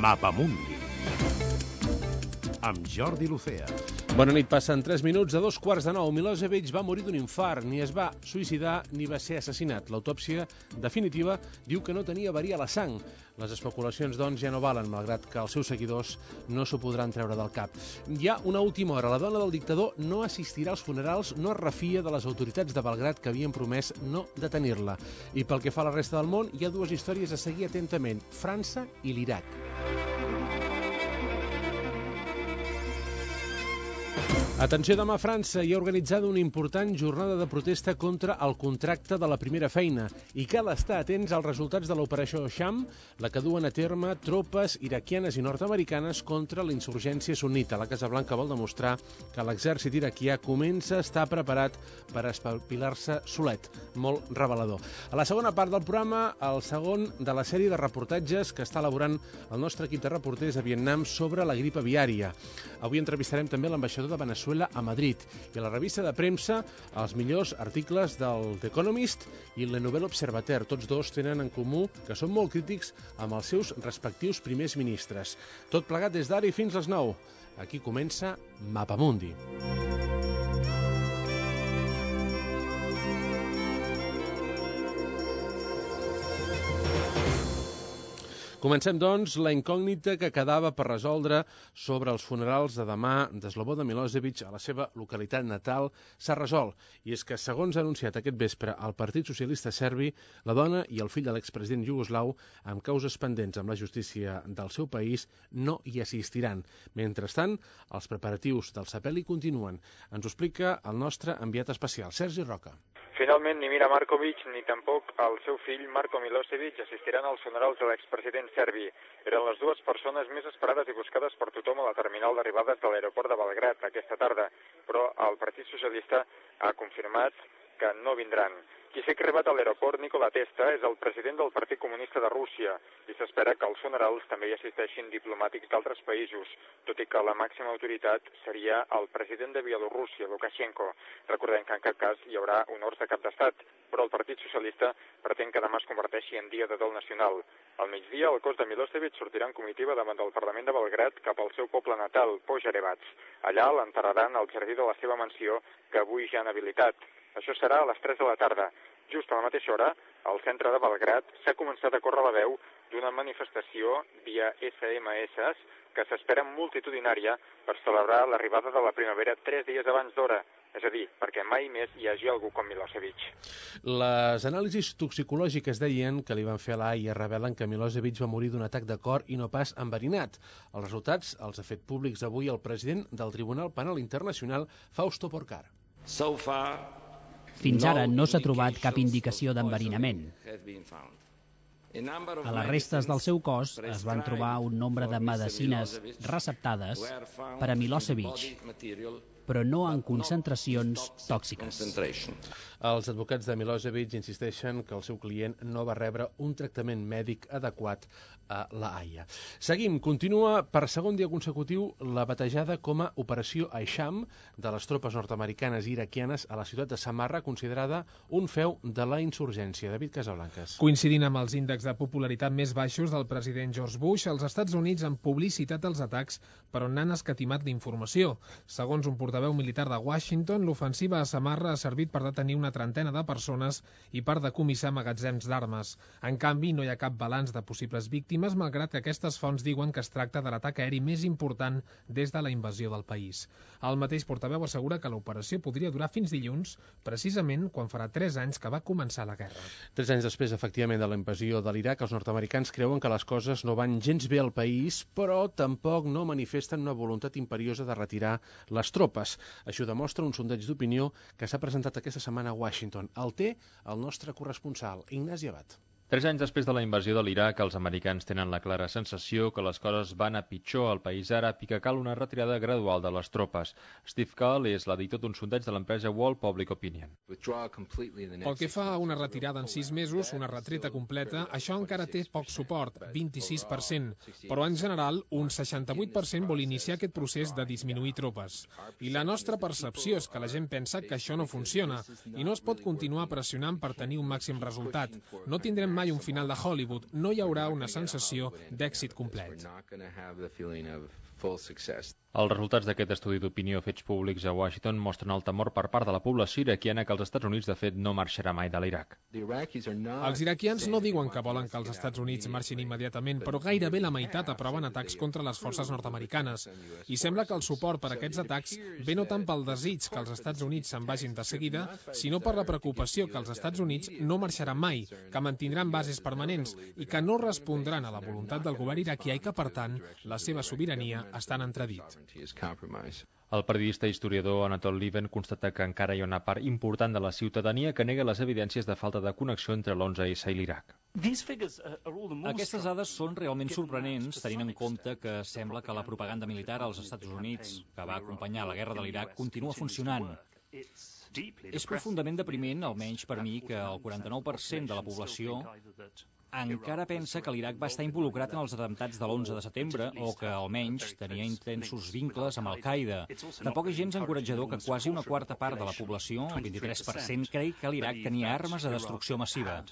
Mapamundi amb Jordi Lucea. Bona nit, passen 3 minuts de 2:15. Milosevic va morir d'un infart, ni es va suïcidar ni va ser assassinat. L'autòpsia definitiva diu que no tenia verí a la sang. Les especulacions, doncs, ja no valen, malgrat que els seus seguidors no s'ho podran treure del cap. Hi ha una última hora. La dona del dictador no assistirà als funerals, no es refia de les autoritats de Belgrad que havien promès no detenir-la. I pel que fa a la resta del món, hi ha dues històries a seguir atentament: França i l'Iraq. Atenció, demà a França hi ha organitzada una important jornada de protesta contra el contracte de la primera feina i cal estar atents als resultats de l'operació Sham, la que duen a terme tropes iraquianes i nord-americanes contra la insurgència sunnita. La Casa Blanca vol demostrar que l'exèrcit iraquià comença a estar preparat per espavilar-se solet. Molt revelador. A la segona part del programa, el segon de la sèrie de reportatges que està elaborant el nostre equip de reporters a Vietnam sobre la grip aviària. Avui entrevistarem també l'ambaixador de Veneçuela a Madrid i a la revista de premsa els millors articles del The Economist i Le Nouvel Observateur. Tots dos tenen en comú que són molt crítics amb els seus respectius primers ministres. Tot plegat des d'ara i fins les 9. Aquí comença Mapamundi. Comencem, doncs, la incògnita que quedava per resoldre sobre els funerals de demà de Slobodan Milosevic a la seva localitat natal s'ha resolt. I és que, segons ha anunciat aquest vespre el Partit Socialista Serbi, la dona i el fill de l'expresident iugoslau, amb causes pendents amb la justícia del seu país, no hi assistiran. Mentrestant, els preparatius del sepeli continuen. Ens ho explica el nostre enviat especial, Sergi Roca. Finalment, ni Mira Markovic ni tampoc el seu fill Marko Milosevic assistiran als funerals de l'expresident serbi. Eren les dues persones més esperades i buscades per tothom a la terminal d'arribades de l'aeroport de Belgrad aquesta tarda, però el Partit Socialista ha confirmat que no vindran. Qui sí que ha arribat a l'aeroport, Nikola Testa, és el president del Partit Comunista de Rússia i s'espera que als funerals també hi assisteixin diplomàtics d'altres països, tot i que la màxima autoritat seria el president de Bielorússia, Lukashenko. Recordem que en cap cas hi haurà honors de cap d'estat, però el Partit Socialista pretén que demà es converteixi en dia de dol nacional. Al migdia, el cos de Milosevic sortirà en comitiva davant del Parlament de Belgrad cap al seu poble natal, Požarevac. Allà l'enterraran al jardí de la seva mansió, que avui ja han habilitat. Això serà a les 3 de la tarda. Just a la mateixa hora, al centre de Belgrad s'ha començat a córrer la veu d'una manifestació via SMS que s'espera multitudinària per celebrar l'arribada de la primavera 3 dies abans d'hora. És a dir, perquè mai més hi hagi algú com Milosevic. Les anàlisis toxicològiques deien que li van fer a la AIA revelen que Milosevic va morir d'un atac de cor i no pas enverinat. Els resultats els ha fet públics avui el president del Tribunal Penal Internacional, Fausto Porcar. Fins ara no s'ha trobat cap indicació d'enverinament. A les restes del seu cos es van trobar un nombre de medicines receptades per a Milosevic, però no en concentracions tòxiques. Els advocats de Milosevic insisteixen que el seu client no va rebre un tractament mèdic adequat a la AIA. Seguim. Continua per segon dia consecutiu la batejada com a Operació Aisham de les tropes nord-americanes i iraquianes a la ciutat de Samarra, considerada un feu de la insurgència. David Casablancas. Coincidint amb els índexs de popularitat més baixos del president George Bush, els Estats Units han publicitat els atacs per on n'han escatimat l'informació. Segons un portaveu militar de Washington, l'ofensiva a Samarra ha servit per detenir una trentena de persones i per decomissar magatzems d'armes. En canvi, no hi ha cap balanç de possibles víctimes, malgrat que aquestes fonts diuen que es tracta de l'atac aeri més important des de la invasió del país. El mateix portaveu assegura que l'operació podria durar fins dilluns, precisament quan farà 3 anys que va començar la guerra. 3 anys després, efectivament, de la invasió de l'Iraq, els nord-americans creuen que les coses no van gens bé al país, però tampoc no manifesten una voluntat imperiosa de retirar les tropes. Això demostra un sondeig d'opinió que s'ha presentat aquesta setmana a Washington. El té el nostre corresponsal, Ignasi Abad. 3 anys després de la invasió de l'Iraq, els americans tenen la clara sensació que les coses van a pitjor al país àrab i que cal una retirada gradual de les tropes. Steve Call és l'editor d'un sondeig de l'empresa World Public Opinion. Pel que fa a una retirada en 6 mesos, una retreta completa, això encara té poc suport, 26%, però en general un 68% vol iniciar aquest procés de disminuir tropes. I la nostra percepció és que la gent pensa que això no funciona i no es pot continuar pressionant per tenir un màxim resultat. No tindrem mai un final de Hollywood, no hi haurà una sensació d'èxit complet. Els resultats d'aquest estudi d'opinió fets públics a Washington mostren el temor per part de la població iraquiana que els Estats Units, de fet, no marxarà mai de l'Iraq. Els iraquians no diuen que volen que els Estats Units marxin immediatament, però gairebé la meitat aproven atacs contra les forces nord-americanes. I sembla que el suport per a aquests atacs ve no tant pel desig que els Estats Units se'n vagin de seguida, sinó per la preocupació que els Estats Units no marxaran mai, que mantindran bases permanents i que no respondran a la voluntat del govern iraquià i que, per tant, la seva sobirania està en entredit. El periodista i historiador Anatol Lieven constata que encara hi ha una part important de la ciutadania que nega les evidències de falta de connexió entre l'11S i l'Iraq. Aquestes dades són realment sorprenents, tenint en compte que sembla que la propaganda militar als Estats Units, que va acompanyar la guerra de l'Iraq, continua funcionant. És profundament depriment, almenys per mi, que el 49% de la població encara pensa que l'Iraq va estar involucrat en els atemptats de l'11 de setembre o que, almenys, tenia intensos vincles amb Al-Qaeda. Tampoc és gens encoratjador que quasi una quarta part de la població, el 23%, cregui que l'Iraq tenia armes de destrucció massiva.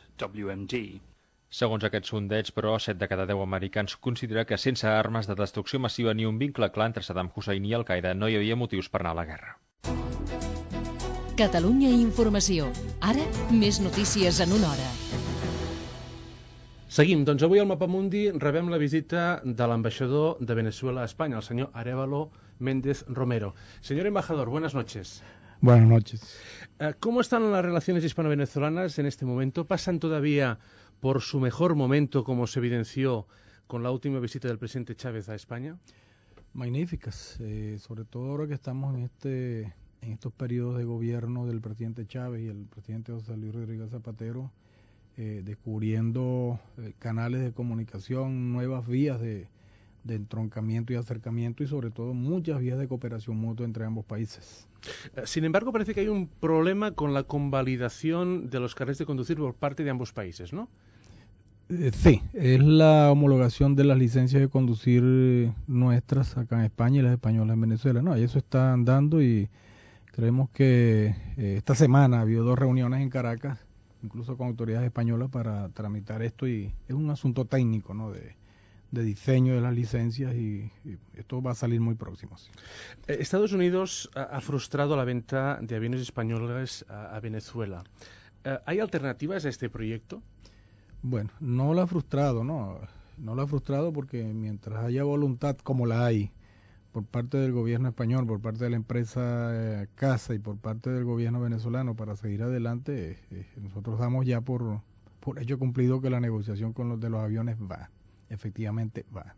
Segons aquest sondeig, però, 7 de cada 10 americans considera que sense armes de destrucció massiva ni un vincle clar entre Saddam Hussein i Al-Qaeda no hi havia motius per anar a la guerra. Catalunya Informació. Ara, més notícies en una hora. Seguim, doncs avui al Mapamundi rebem la visita de l'ambaixador de Venezuela a España, el señor Arévalo Méndez Romero. Señor embajador, buenas noches. Buenas noches. ¿Cómo están las relaciones hispano-venezolanas en este momento? ¿Pasan todavía por su mejor momento, como se evidenció con la última visita del presidente Chávez a España? Magníficas, sobre todo ahora que estamos en estos periodos de gobierno del presidente Chávez y el presidente José Luis Rodríguez Zapatero, descubriendo canales de comunicación, nuevas vías de entroncamiento y acercamiento y sobre todo muchas vías de cooperación mutua entre ambos países. Sin embargo, parece que hay un problema con la convalidación de los carnets de conducir por parte de ambos países, ¿no? Sí, es la homologación de las licencias de conducir nuestras acá en España y las españolas en Venezuela. No, y eso está andando y creemos que esta semana ha habido 2 reuniones en Caracas, incluso con autoridades españolas, para tramitar esto, y es un asunto técnico, ¿no?, de diseño de las licencias, y esto va a salir muy próximo. Sí. Estados Unidos ha frustrado la venta de aviones españoles a Venezuela. ¿Hay alternativas a este proyecto? Bueno, no la ha frustrado, no la ha frustrado porque mientras haya voluntad, como la hay, por parte del gobierno español, por parte de la empresa CASA y por parte del gobierno venezolano para seguir adelante, nosotros damos ya por hecho cumplido que la negociación con los aviones va, efectivamente va.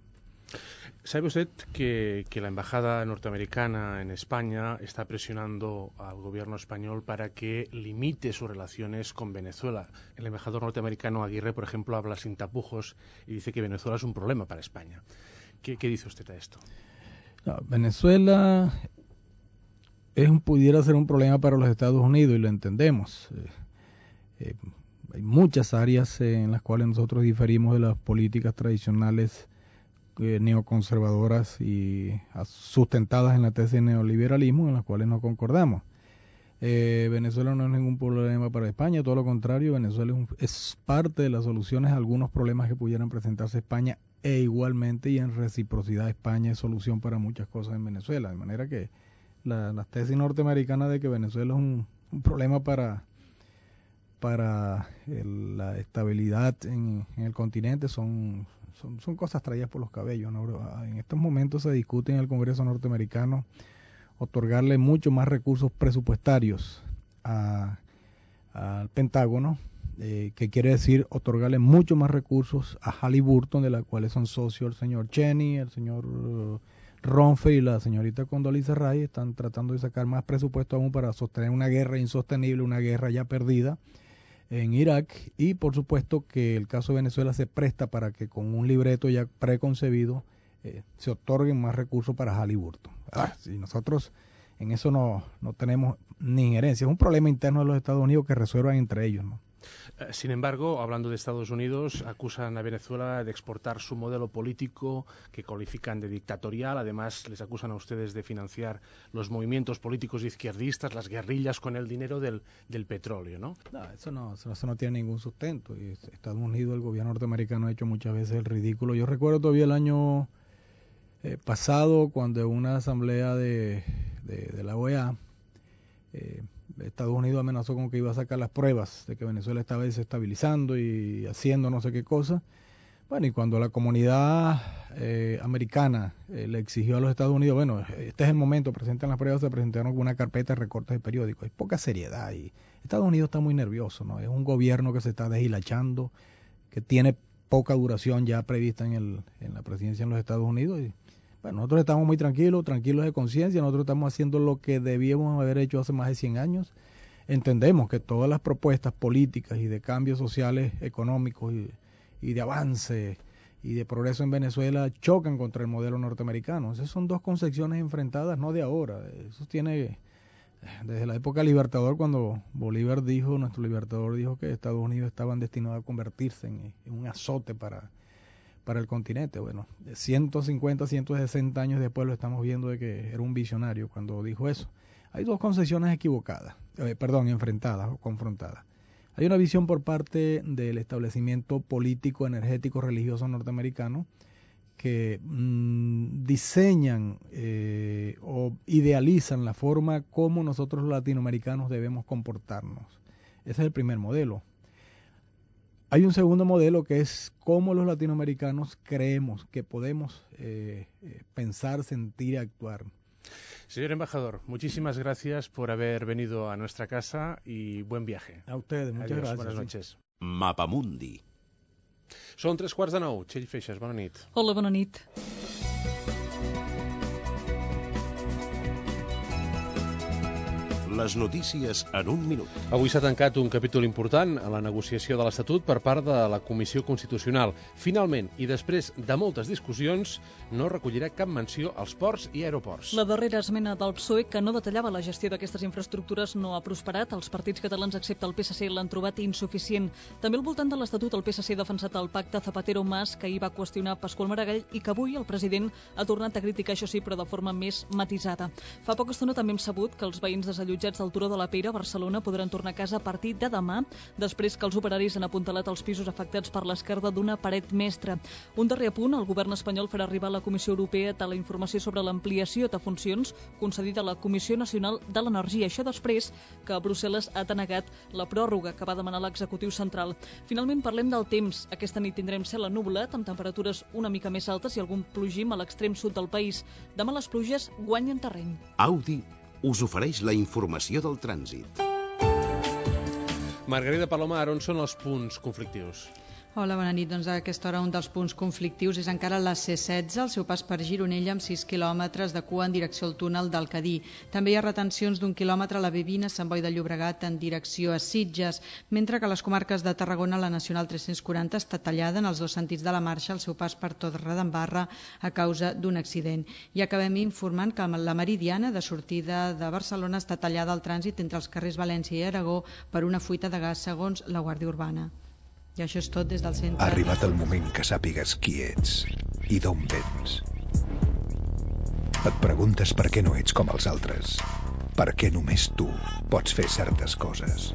¿Sabe usted que la embajada norteamericana en España está presionando al gobierno español para que limite sus relaciones con Venezuela? El embajador norteamericano Aguirre, por ejemplo, habla sin tapujos y dice que Venezuela es un problema para España. ¿Qué dice usted a esto? No, Venezuela pudiera ser un problema para los Estados Unidos y lo entendemos. Hay muchas áreas en las cuales nosotros diferimos de las políticas tradicionales neoconservadoras y sustentadas en la tesis de neoliberalismo, en las cuales no concordamos. Venezuela no es ningún problema para España, todo lo contrario, Venezuela es parte de las soluciones a algunos problemas que pudieran presentarse España, e igualmente y en reciprocidad España es solución para muchas cosas en Venezuela, de manera que la tesis norteamericana de que Venezuela es un problema para la estabilidad en el continente son cosas traídas por los cabellos, ¿no? En estos momentos se discute en el Congreso norteamericano otorgarle mucho más recursos presupuestarios al Pentágono, que quiere decir otorgarle mucho más recursos a Halliburton, de la cuales son socios el señor Cheney, el señor Ronfe y la señorita Condoleezza Rice. Están tratando de sacar más presupuesto aún para sostener una guerra insostenible, una guerra ya perdida en Irak, y por supuesto que el caso de Venezuela se presta para que con un libreto ya preconcebido se otorguen más recursos para Halliburton. Si nosotros en eso no tenemos ni injerencia, es un problema interno de los Estados Unidos que resuelvan entre ellos, ¿no? Sin embargo, hablando de Estados Unidos, acusan a Venezuela de exportar su modelo político que califican de dictatorial. Además, les acusan a ustedes de financiar los movimientos políticos izquierdistas, las guerrillas, con el dinero del petróleo, ¿no? No, eso no tiene ningún sustento. Y Estados Unidos, el gobierno norteamericano ha hecho muchas veces el ridículo. Yo recuerdo todavía el año pasado, cuando en una asamblea de la OEA, Estados Unidos amenazó con que iba a sacar las pruebas de que Venezuela estaba desestabilizando y haciendo no sé qué cosa. Bueno, y cuando la comunidad americana le exigió a los Estados Unidos, bueno, este es el momento, presenten las pruebas, se presentaron con una carpeta de recortes de periódicos. Hay poca seriedad y Estados Unidos está muy nervioso, ¿no? Es un gobierno que se está deshilachando, que tiene poca duración ya prevista en la presidencia en los Estados Unidos. Y bueno, nosotros estamos muy tranquilos de conciencia, nosotros estamos haciendo lo que debíamos haber hecho hace más de 100 años. Entendemos que todas las propuestas políticas y de cambios sociales, económicos y de avance y de progreso en Venezuela chocan contra el modelo norteamericano. Esas son dos concepciones enfrentadas, no de ahora. Eso tiene desde la época libertador, cuando nuestro libertador dijo que Estados Unidos estaban destinados a convertirse en un azote para el continente. Bueno, 150, 160 años después lo estamos viendo de que era un visionario cuando dijo eso. Hay dos concepciones enfrentadas o confrontadas. Hay una visión por parte del establecimiento político, energético, religioso norteamericano que diseñan o idealizan la forma como nosotros los latinoamericanos debemos comportarnos. Ese es el primer modelo. Hay un segundo modelo que es cómo los latinoamericanos creemos que podemos pensar, sentir y actuar. Señor embajador, muchísimas gracias por haber venido a nuestra casa y buen viaje. A ustedes, muchas gracias. Buenas noches. Mapamundi. Són 3:45. Txell Feixas, bona nit. Hola, bona nit. Les notícies en un minut. Avui s'ha tancat un capítol important a la negociació de l'Estatut per part de la Comissió Constitucional. Finalment, i després de moltes discussions, no recollirà cap menció als ports i aeroports. La darrera esmena del PSOE, que no detallava la gestió d'aquestes infraestructures, no ha prosperat. Els partits catalans, excepte el PSC, l'han trobat insuficient. També al voltant de l'Estatut, el PSC ha defensat el pacte Zapatero-Mas, que ahir va qüestionar Pasqual Maragall i que avui el president ha tornat a criticar, això sí, però de forma més matisada. Fa poca estona també hem sabut que els veïns desallotjats del Turó de la Peira a Barcelona podran tornar a casa a partir de demà, després que els operaris han apuntalat els pisos afectats per l'esquerda d'una paret mestra. Un darrer apunt, el govern espanyol farà arribar a la Comissió Europea la informació sobre l'ampliació de funcions concedida a la Comissió Nacional de l'Energia. Això després que Brussel·les ha denegat la pròrroga que va demanar l'executiu central. Finalment parlem del temps. Aquesta nit tindrem cel ennuvolat, amb temperatures una mica més altes i algun plogim a l'extrem sud del país. Demà les pluges guanyen terreny. Audi us ofereix la informació del trànsit. Margarida Palomar, on són els punts conflictius? Hola, bona nit. Doncs a aquesta hora un dels punts conflictius és encara la C16, al seu pas per Gironella, amb 6 quilòmetres de cua en direcció al túnel del Cadí. També hi ha retencions d'1 quilòmetre a la B20 a Sant Boi de Llobregat en direcció a Sitges, mentre que a les comarques de Tarragona la Nacional 340 està tallada en els dos sentits de la marxa al seu pas per Torredembarra a causa d'un accident. I acabem informant que la Meridiana de sortida de Barcelona està tallada al trànsit entre els carrers València i Aragó per una fuita de gas, segons la Guàrdia Urbana. I això és tot des del centre. Ha arribat el moment que sàpigues qui ets i d'on vens. Et preguntes per què no ets com els altres, per què només tu pots fer certes coses.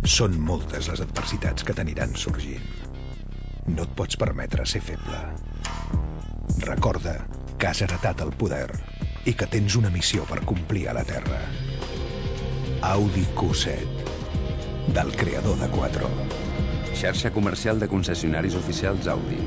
Són moltes les adversitats que t'aniran sorgint. No et pots permetre ser feble. Recorda que has heretat el poder i que tens una missió per complir a la Terra. Audi Q7, del creador de Quattro. Xarxa comercial de concessionaris oficials Audi.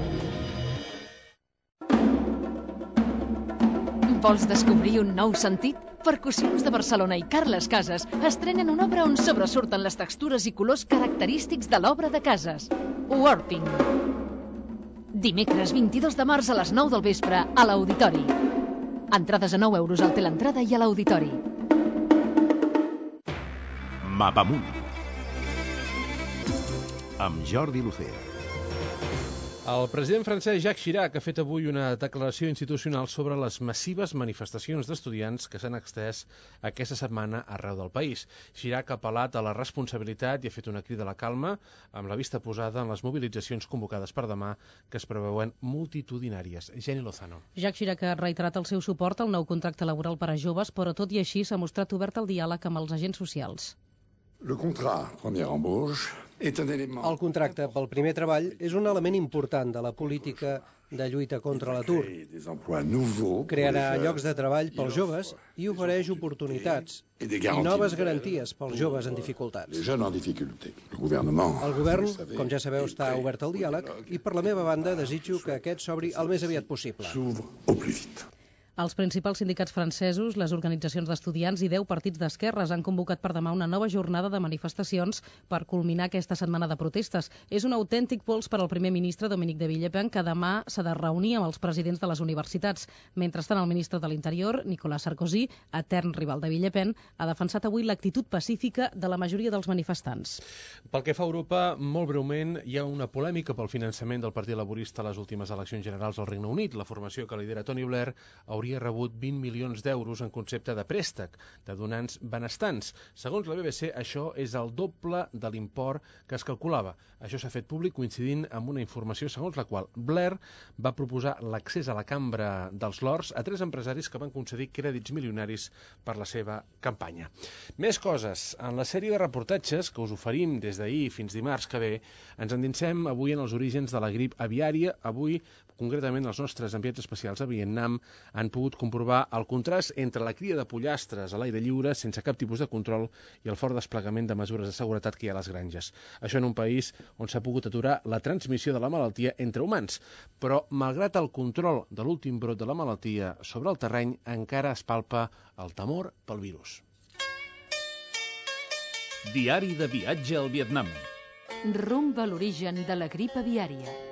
Vols descobrir un nou sentit? Percussions de Barcelona i Carles Casas estrenen una obra on sobresurten les textures i colors característics de l'obra de Casas, Warping. Dimecres 22 de març a les 9 del vespre a l'Auditori. Entrades a 9 euros al teleentrada i a l'Auditori. Mapamundi amb Jordi Lucea. El president francès Jacques Chirac ha fet avui una declaració institucional sobre les massives manifestacions d'estudiants que s'han extès aquesta setmana arreu del país. Chirac ha apel·lat a la responsabilitat i ha fet una crida a la calma, amb la vista posada en les mobilitzacions convocades per demà, que es preveuen multitudinàries. Jenny Lozano. Jacques Chirac ha reiterat el seu suport al nou contracte laboral per a joves, però tot i així s'ha mostrat obert al diàleg amb els agents socials. El contracte pel primer treball és un element important de la política de lluita contra l'atur. Crearà llocs de treball pels joves i ofereix oportunitats i noves garanties pels joves en dificultats. El govern, com ja sabeu, està obert al diàleg i per la meva banda desitjo que aquest s'obri el més aviat possible. Els principals sindicats francesos, les organitzacions d'estudiants i 10 partits d'esquerres han convocat per demà una nova jornada de manifestacions per culminar aquesta setmana de protestes. És un autèntic pols per al primer ministre Dominique de Villepin, que demà s'ha de reunir amb els presidents de les universitats. Mentrestant, el ministre de l'Interior, Nicolas Sarkozy, etern rival de Villepin, ha defensat avui l'actitud pacífica de la majoria dels manifestants. Pel que fa a Europa, molt breument, hi ha una polèmica pel finançament del Partit Laborista a les últimes eleccions generals al Regne Unit. La formació que lidera Tony Blair hauria rebut 20 milions d'euros en concepte de préstec de donants benestants. Segons la BBC, això és el doble de l'import que es calculava. Això s'ha fet públic coincidint amb una informació segons la qual Blair va proposar l'accés a la Cambra dels Lords a 3 empresaris que van concedir crèdits milionaris per la seva campanya. Més coses. En la sèrie de reportatges que us oferim des d'ahir fins dimarts que ve, ens endinsem avui en els orígens de la grip aviària. Avui, concretament, els nostres enviats especials a Vietnam han pogut comprovar el contrast entre la cria de pollastres a l'aire lliure sense cap tipus de control i el fort desplegament de mesures de seguretat que hi ha a les granges. Això en un país on s'ha pogut aturar la transmissió de la malaltia entre humans. Però, malgrat el control de l'últim brot de la malaltia sobre el terreny, encara es palpa el temor pel virus. Diari de viatge al Vietnam. Rumb a l'origen de la grip aviària.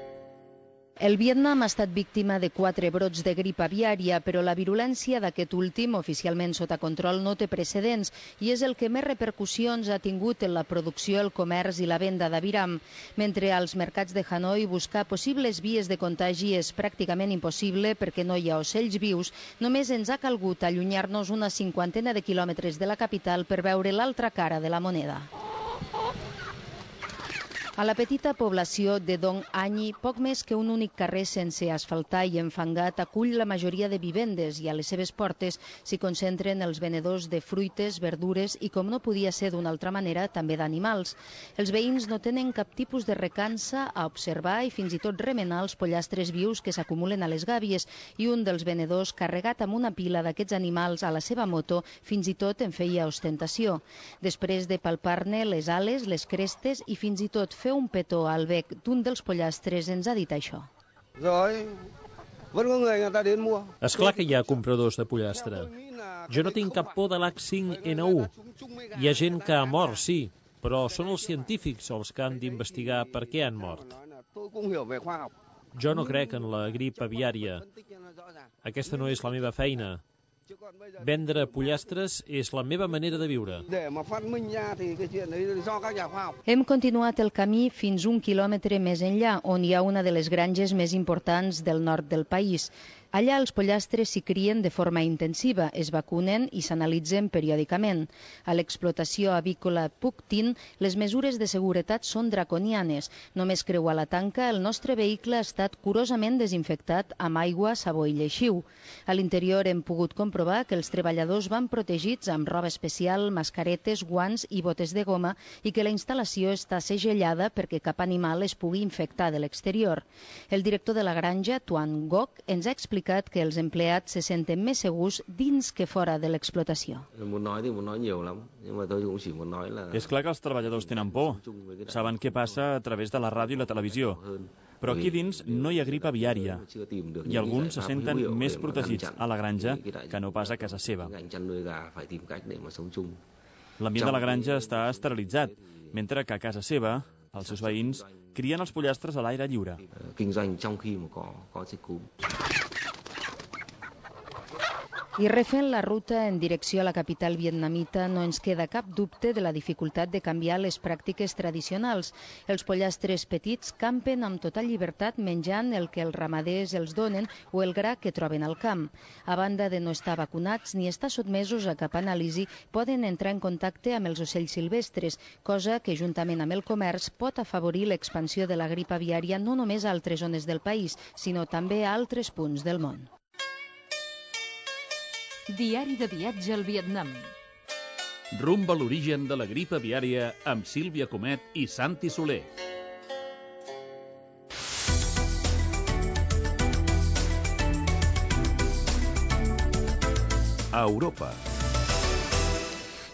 El Vietnam ha estat víctima de 4 brots de grip aviària, però la virulència d'aquest últim, oficialment sota control, no té precedents i és el que més repercussions ha tingut en la producció, el comerç i la venda d'aviram. Mentre als mercats de Hanoi buscar possibles vies de contagi és pràcticament impossible perquè no hi ha ocells vius, només ens ha calgut allunyar-nos una 50 de quilòmetres de la capital per veure l'altra cara de la moneda. A la petita població de Dong Anyi, poc més que un únic carrer sense asfaltar i enfangat acull la majoria de vivendes i a les seves portes s'hi concentren els venedors de fruites, verdures i, com no podia ser d'una altra manera, també d'animals. Els veïns no tenen cap tipus de recança a observar i fins i tot remenar els pollastres vius que s'acumulen a les gàbies i un dels venedors, carregat amb una pila d'aquests animals a la seva moto, fins i tot en feia ostentació. Després de palpar-ne les ales, les crestes i fins i tot fer un petó al bec d'un dels pollastres ens ha dit això. És clar que hi ha compradors de pollastre. Jo no tinc cap por de l'H5N1. Hi ha gent que ha mort, sí, però són els científics els que han d'investigar per què han mort. Jo no crec en la grip aviària. Aquesta no és la meva feina. Vendre pollastres és la meva manera de viure. Hem continuat el camí fins 1 quilòmetre més enllà, on hi ha una de les granges més importants del nord del país. Allà els pollastres s'hi crien de forma intensiva, es vacunen i s'analitzen periòdicament. A l'explotació avícola Puc Tin, les mesures de seguretat són draconianes. Només creuar la tanca, el nostre vehicle ha estat curosament desinfectat amb aigua, sabó i lleixiu. A l'interior hem pogut comprovar que els treballadors van protegits amb roba especial, mascaretes, guants i botes de goma i que la instal·lació està segellada perquè cap animal es pugui infectar de l'exterior. El director de la granja, Tuan Ngoc, ens ha explicat que els empleats se senten més segurs dins que fora de l'explotació. És clar que els treballadors tenen por. Saben què passa a través de la ràdio i la televisió. Però aquí dins no hi ha grip aviària i alguns se senten més protegits a la granja que no pas a casa seva. L'ambient de la granja està esterilitzat, mentre que a casa seva els seus veïns crien els pollastres a l'aire lliure. I refent la ruta en direcció a la capital vietnamita no ens queda cap dubte de la dificultat de canviar les pràctiques tradicionals. Els pollastres petits campen amb total llibertat menjant el que els ramaders els donen o el gra que troben al camp. A banda de no estar vacunats ni estar sotmesos a cap anàlisi, poden entrar en contacte amb els ocells silvestres, cosa que juntament amb el comerç pot afavorir l'expansió de la grip aviària no només a altres zones del país, sinó també a altres punts del món. Diari de viatge al Vietnam. Rumb a l'origen de la grip aviària amb Sílvia Comet i Santi Soler. A Europa.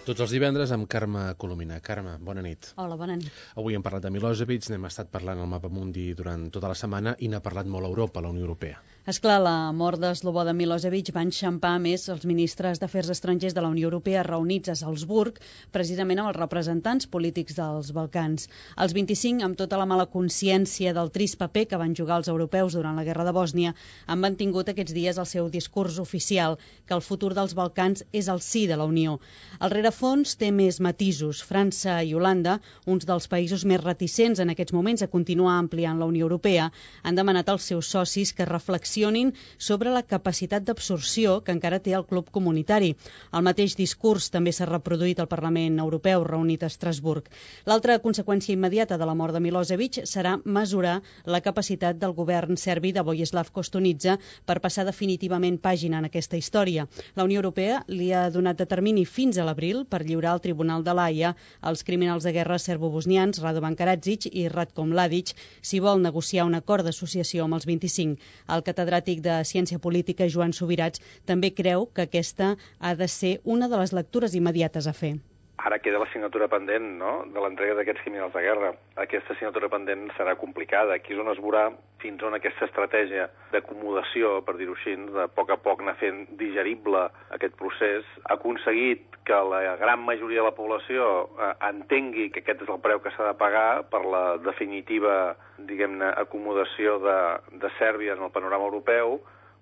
Tots els divendres amb Carme Colomina. Carme, bona nit. Hola, bona nit. Avui hem parlat de Milosevic, n'hem estat parlant al Mapa Mundi durant tota la setmana i n'ha parlat molt a Europa, a la Unió Europea. Esclar, la mort de Slobodan Milosevic va enxampar més els ministres d'Afers Estrangers de la Unió Europea reunits a Salzburg, precisament amb els representants polítics dels Balcans. Els 25, amb tota la mala consciència del trist paper que van jugar els europeus durant la guerra de Bòsnia, han mantingut aquests dies el seu discurs oficial, que el futur dels Balcans és el sí de la Unió. El rerefons té més matisos. França i Holanda, uns dels països més reticents en aquests moments a continuar ampliant la Unió Europea, han demanat als seus socis que reflexionin sobre la capacitat d'absorció que encara té el club comunitari. El mateix discurs també s'ha reproduït al Parlament Europeu reunit a Estrasburg. L'altra conseqüència immediata de la mort de Milosevic serà mesurar la capacitat del govern serbi de Vojislav Koštunica per passar definitivament pàgina en aquesta història. La Unió Europea li ha donat de termini fins a l'abril per lliurar al Tribunal de l'Haia els criminals de guerra serbo-bosnians Radovan Karadzic i Ratko Mladic si vol negociar un acord d'associació amb els 25. El catedràtic de Ciència Política, Joan Subirats, també creu que aquesta ha de ser una de les lectures immediates a fer. Ara queda l'assignatura pendent, no?, de l'entrega d'aquests criminals de guerra. Aquesta assignatura pendent serà complicada. Aquí és on es veurà fins on aquesta estratègia d'acomodació, per dir-ho així, de a poc anar fent digerible aquest procés, ha aconseguit que la gran majoria de la població entengui que aquest és el preu que s'ha de pagar per la definitiva, diguem-ne, acomodació de Sèrbia en el panorama europeu,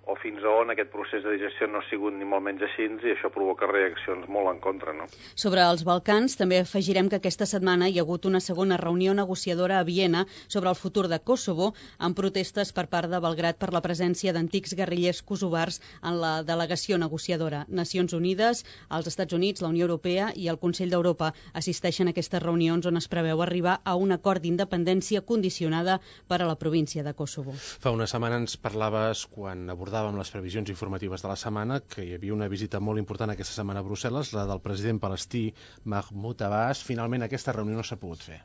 o fins a on aquest procés de digestió no ha sigut ni molt menys així i això provoca reaccions molt en contra, no? Sobre els Balcans també afegirem que aquesta setmana hi ha hagut una segona reunió negociadora a Viena sobre el futur de Kosovo amb protestes per part de Belgrad per la presència d'antics guerrillers kosovars en la delegació negociadora. Nacions Unides, els Estats Units, la Unió Europea i el Consell d'Europa assisteixen a aquestes reunions on es preveu arribar a un acord d'independència condicionada per a la província de Kosovo. Fa una setmana ens parlaves, quan abordàvem les previsions informatives de la setmana, que hi havia una visita molt important aquesta setmana a Brussel·les, la del president palestí Mahmoud Abbas. Finalment aquesta reunió no s'ha pogut fer.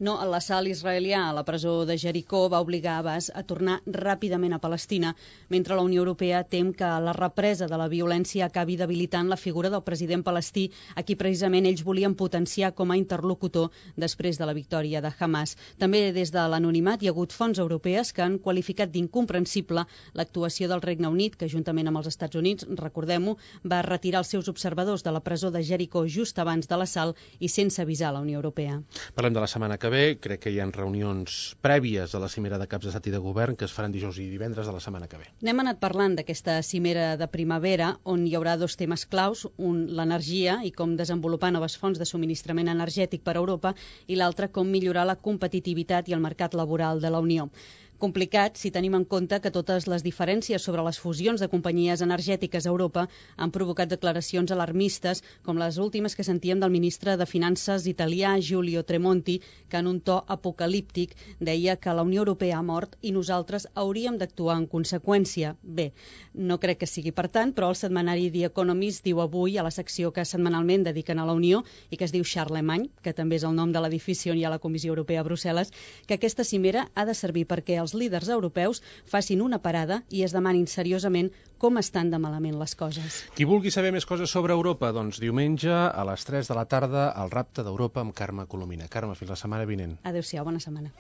No, l'assalt israelià a la presó de Jericó va obligar Abbas a tornar ràpidament a Palestina, mentre la Unió Europea tem que la represa de la violència acabi debilitant la figura del president palestí, a qui precisament ells volien potenciar com a interlocutor després de la victòria de Hamas. També des de l'anonimat hi ha hagut fonts europees que han qualificat d'incomprensible l'actuació del Regne Unit, que juntament amb els Estats Units, recordem-ho, va retirar els seus observadors de la presó de Jericó just abans de l'assalt i sense avisar la Unió Europea. Parlem de la setmana que ve. Crec que hi ha reunions prèvies a la cimera de caps d'estat i de govern que es faran dijous i divendres de la setmana que ve. N'hem anat parlant d'aquesta cimera de primavera on hi haurà dos temes claus, un l'energia i com desenvolupar noves fonts de subministrament energètic per a Europa i l'altre com millorar la competitivitat i el mercat laboral de la Unió. Complicat si tenim en compte que totes les diferències sobre les fusions de companyies energètiques a Europa han provocat declaracions alarmistes com les últimes que sentíem del ministre de Finances italià Giulio Tremonti, que en un to apocalíptic deia que la Unió Europea ha mort i nosaltres hauríem d'actuar en conseqüència. Bé, no crec que sigui per tant, però el setmanari The Economist diu avui a la secció que setmanalment dediquen a la Unió i que es diu Charlemagne, que també és el nom de l'edifici on hi ha la Comissió Europea a Brussel·les, que aquesta cimera ha de servir perquè els líders europeus facin una parada i es demanin seriosament com estan de malament les coses. Qui vulgui saber més coses sobre Europa, doncs diumenge a les 3 de la tarda al Rapte d'Europa amb Carme Colomina. Carme, fins la setmana vinent. Adéu-siau, bona setmana.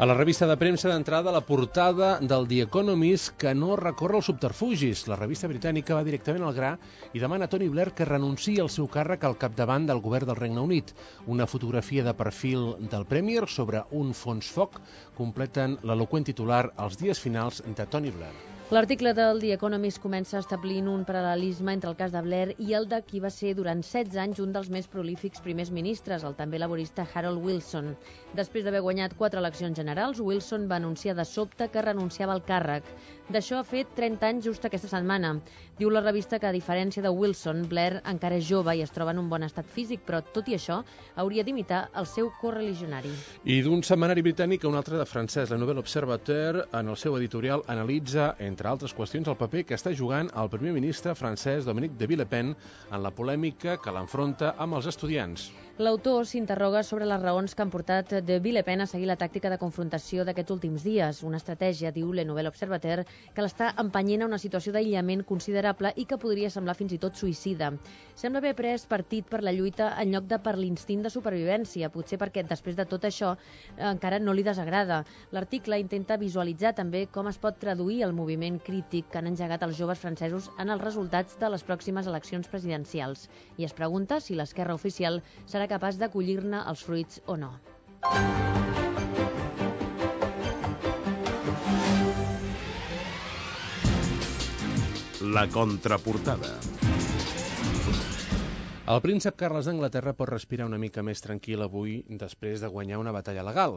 A la revista de premsa d'entrada, la portada del The Economist que no recorre als subterfugis. La revista britànica va directament al gra i demana a Tony Blair que renunciï al seu càrrec al capdavant del govern del Regne Unit. Una fotografia de perfil del Premier sobre un fons foc completen l'eloqüent titular Els dies finals de Tony Blair. L'article del The Economist comença establint un paral·lelisme entre el cas de Blair i el de qui va ser durant 16 anys un dels més prolífics primers ministres, el també laborista Harold Wilson. Després d'haver guanyat 4 eleccions generals, Wilson va anunciar de sobte que renunciava al càrrec. D'això ha fet 30 anys just aquesta setmana. Diu la revista que, a diferència de Wilson, Blair encara és jove i es troba en un bon estat físic, però, tot i això, hauria d'imitar el seu correligionari. I d'un setmanari britànic a un altre de francès, la Nouvelle Observateur, en el seu editorial, analitza, entre altres qüestions, el paper que està jugant el primer ministre francès Dominique de Villepin en la polèmica que l'enfronta amb els estudiants. L'autor s'interroga sobre les raons que han portat de Villepin a seguir la tàctica de confrontació d'aquests últims dies, una estratègia, diu Le Nouvel Observateur, que l'està empenyent a una situació d'aïllament considerable i que podria semblar fins i tot suïcida. Sembla haver pres partit per la lluita en lloc de per l'instint de supervivència, potser perquè després de tot això encara no li desagrada. L'article intenta visualitzar també com es pot traduir el moviment crític que han engegat els joves francesos en els resultats de les pròximes eleccions presidencials i es pregunta si l'esquerra oficial serà capaç d'acollir-ne els fruits o no. La contraportada. El príncep Carles d'Anglaterra pot respirar una mica més tranquil avui després de guanyar una batalla legal.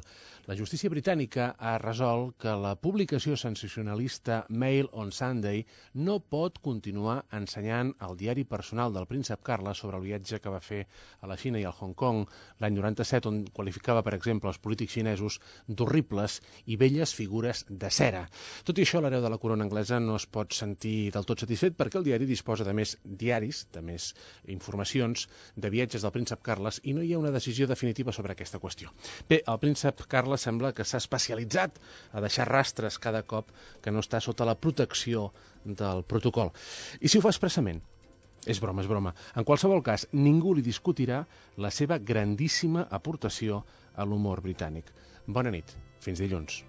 La justícia britànica ha resolt que la publicació sensacionalista Mail on Sunday no pot continuar ensenyant el diari personal del príncep Carles sobre el viatge que va fer a la Xina i al Hong Kong l'any 97, on qualificava, per exemple, els polítics xinesos d'horribles i velles figures de cera. Tot i això, l'hereu de la corona anglesa no es pot sentir del tot satisfet perquè el diari disposa de més diaris, de més informació de viatges del príncep Carles i no hi ha una decisió definitiva sobre aquesta qüestió. Bé, el príncep Carles sembla que s'ha especialitzat a deixar rastres cada cop que no està sota la protecció del protocol. I si ho fa expressament? És broma, és broma. En qualsevol cas, ningú li discutirà la seva grandíssima aportació a l'humor britànic. Bona nit. Fins dilluns.